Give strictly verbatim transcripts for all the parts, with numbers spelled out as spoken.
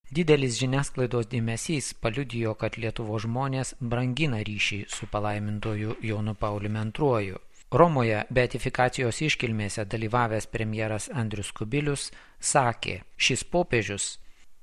Didelis žiniasklaidos dėmesys paliudijo, kad Lietuvos žmonės brangina ryšį su palaimintuoju Jonu Pauliumi antruoju. Romoje beatifikacijos iškilmėse dalyvavęs premjeras Andrius Kubilius sakė, šis popiežius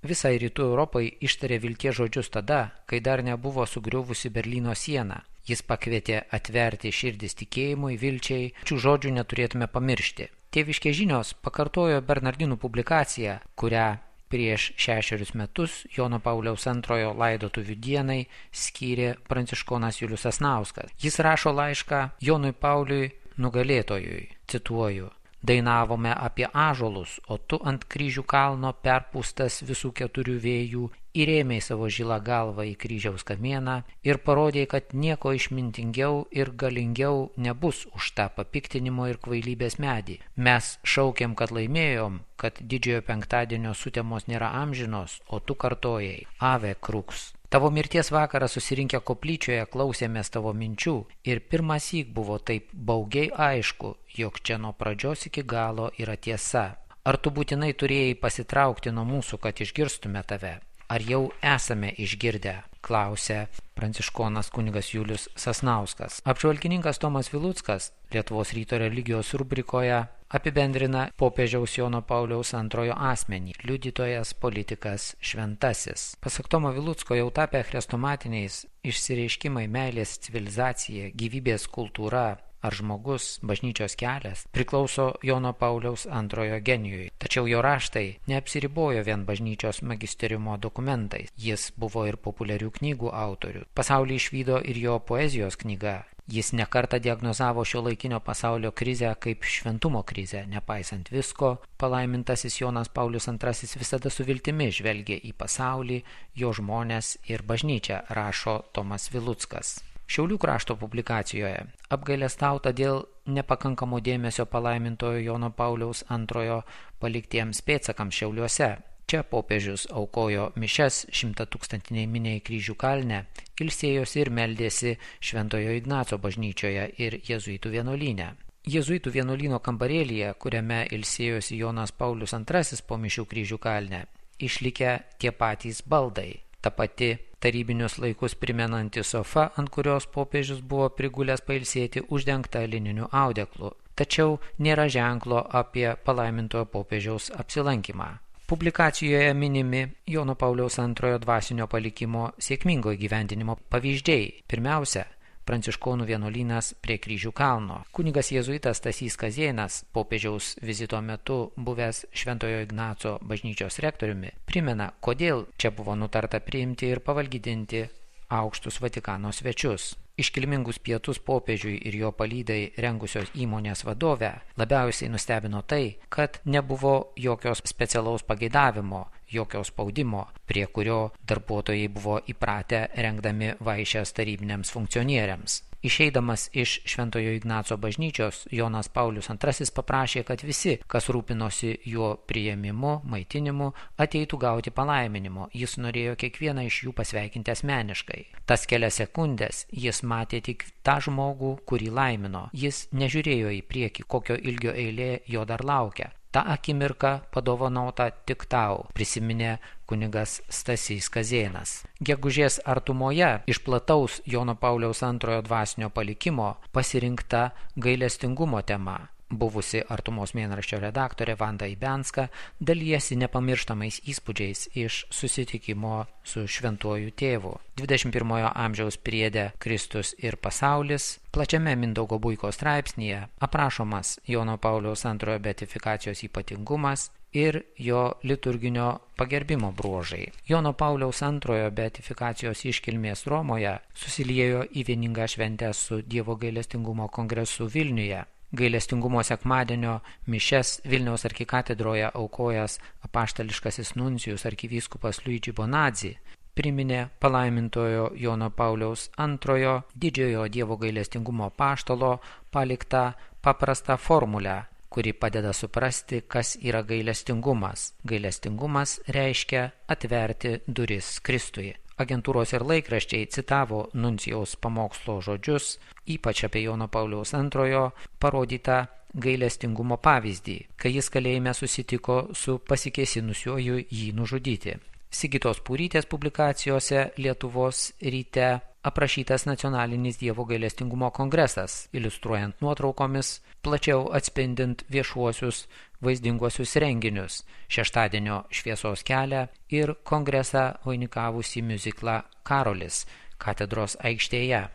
visai rytų Europai ištarė vilties žodžius tada, kai dar nebuvo sugriuvusi Berlyno siena. Jis pakvietė atverti širdis tikėjimui, vilčiai, šių žodžių neturėtume pamiršti. Tėviškės žinios pakartojo Bernardinų publikaciją, kurią prieš šešerius metus Jono Pauliaus antrojo laidotuvių dienai skyrė pranciškonas Julius Sasnauskas. Jis rašo laišką Jonui Pauliui nugalėtojui, cituoju, dainavome apie ąžuolus, o tu ant kryžių kalno perpūstas visų keturių vėjų įrėmei savo žilą galvą į kryžiaus kamieną ir parodė, kad nieko išmintingiau ir galingiau nebus už tą papiktinimo ir kvailybės medį. Mes šaukėm, kad laimėjom, kad didžiojo penktadienio sutemos nėra amžinos, o tu kartojai, ave crux. Tavo mirties vakarą susirinkę koplyčioje klausėmės tavo minčių ir pirmąsyk buvo taip baugiai aišku, jog čia nuo pradžios iki galo yra tiesa. Ar tu būtinai turėjai pasitraukti nuo mūsų, kad išgirstume tave? Ar jau esame išgirdę? Klausė pranciškonas kunigas Julius Sasnauskas. Apžvalgininkas Tomas Viluckas Lietuvos ryto religijos rubrikoje apibendrina popiežiaus Jono Pauliaus antrojo asmenį, liudytojas, politikas, šventasis. Pasak Tomo Vilucko jau tapę chrestomatiniais išsireiškimai meilės civilizacija, gyvybės kultūra ar žmogus, bažnyčios kelias priklauso Jono Pauliaus antrojo genijui. Tačiau jo raštai neapsiribojo vien bažnyčios magisteriumo dokumentais. Jis buvo ir populiarių knygų autorių. Pasaulį išvydo ir jo poezijos knyga. Jis nekartą diagnozavo šio laikinio pasaulio krizę kaip šventumo krizę. Nepaisant visko, palaimintasis Jonas Paulius antrasis visada su viltimi žvelgė į pasaulį, jo žmones ir bažnyčią, rašo Tomas Viluckas. Šiaulių krašto publikacijoje apgailestauta dėl nepakankamo dėmesio palaimintojo Jono Pauliaus antrojo paliktiems pėdsakams Šiauliuose. Čia popiežius aukojo mišias šimtatūkstantiniai miniai kryžių kalne, ilsėjosi ir meldėsi Šventojo Ignaco bažnyčioje ir jėzuitų vienuolyne. Jėzuitų vienuolyno kambarėlyje, kuriame ilsėjosi Jonas Paulius antrasis po mišių kryžių kalne, išlikę tie patys baldai. Ta pati tarybinius laikus primenanti sofa, ant kurios popiežius buvo prigulęs pailsėti, uždengta lininiu audeklu. Tačiau nėra ženklo apie palaimintojo popiežiaus apsilankymą. Publikacijoje minimi Jono Pauliaus antrojo dvasinio palikimo sėkmingo įgyvendinimo pavyzdžiai. Pirmiausia, pranciškonų vienuolynas prie kryžių kalno. Kunigas jėzuitas Stasys Kazėnas, popiežiaus vizito metu buvęs Šventojo Ignaco bažnyčios rektoriumi, primena, kodėl čia buvo nutarta priimti ir pavalgydinti aukštus Vatikano svečius. Iškilmingus pietus popiežiui ir jo palydai rengusios įmonės vadovę labiausiai nustebino tai, kad nebuvo jokios specialaus pageidavimo, jokio spaudimo, prie kurio darbuotojai buvo įpratę rengdami vaišes tarybiniams funkcionieriams. Išeidamas iš Šventojo Ignaco bažnyčios, Jonas Paulius antrasis paprašė, kad visi, kas rūpinosi jo priėmimu, maitinimu, ateitų gauti palaiminimo. Jis norėjo kiekvieną iš jų pasveikinti asmeniškai. Tas kelias sekundės jis matė tik tą žmogų, kurį laimino. Jis nežiūrėjo į priekį, kokio ilgio eilė jo dar laukia. Ta akimirka padovanota tik tau, prisiminė kunigas Stasys Kazėnas. Gegužės artumoje iš plataus Jono Pauliaus antrojo dvasinio palikimo pasirinkta gailestingumo tema. Buvusi Artumos mėnraščio redaktorė Vanda Ibenska dalijasi nepamirštamais įspūdžiais iš susitikimo su šventuoju tėvu. dvidešimt pirmojo amžiaus priede Kristus ir pasaulis, plačiame Mindaugo Buiko straipsnyje aprašomas Jono Pauliaus antrojo beatifikacijos ypatingumas ir jo liturginio pagerbimo bruožai. Jono Pauliaus antrojo beatifikacijos iškilmės Romoje susiliejo į vieningą šventę su Dievo gailestingumo kongresu Vilniuje. Gailestingumo sekmadienio mišias Vilniaus arkikatedroje aukojęs apaštališkasis nuncijus arkivyskupas Luigi Bonazzi priminė palaimintojo Jono Pauliaus antrojo didžiojo Dievo gailestingumo apaštalo paliktą paprastą formulę, kuri padeda suprasti, kas yra gailestingumas. Gailestingumas reiškia atverti duris Kristui. Agentūros ir laikraščiai citavo nuncijaus pamokslo žodžius, ypač apie Jono Pauliaus antrojo parodytą gailestingumo pavyzdį, kai jis kalėjime susitiko su pasikėsinusiuoju jį nužudyti. Sigitos Purytės publikacijose Lietuvos ryte aprašytas nacionalinis Dievo gailestingumo kongresas, iliustruojant nuotraukomis, plačiau atspindint viešuosius vaizdinguosius renginius, šeštadienio šviesos kelią ir kongresą vainikavusį miuziklą Karolis katedros aikštėje.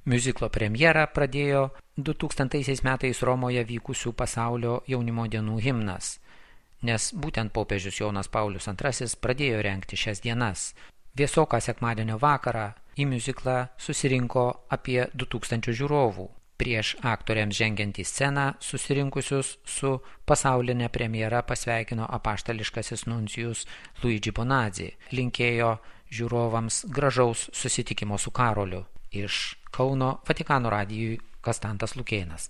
Miuziklo premjerą pradėjo du tūkstantaisiais metais Romoje vykusių pasaulio jaunimo dienų himnas, nes būtent popiežius Jonas Paulius antrasis pradėjo rengti šias dienas. Vėsoką sekmadienio vakarą į miuziklą susirinko apie du tūkstančius žiūrovų. Prieš aktoriams žengiant į sceną susirinkusius su pasaulinė premjera pasveikino apaštališkasis nuncijus Luigi Bonazzi, linkėjo žiūrovams gražaus susitikimo su Karoliu. Iš Kauno Vatikano radijui Kastantas Lukėnas.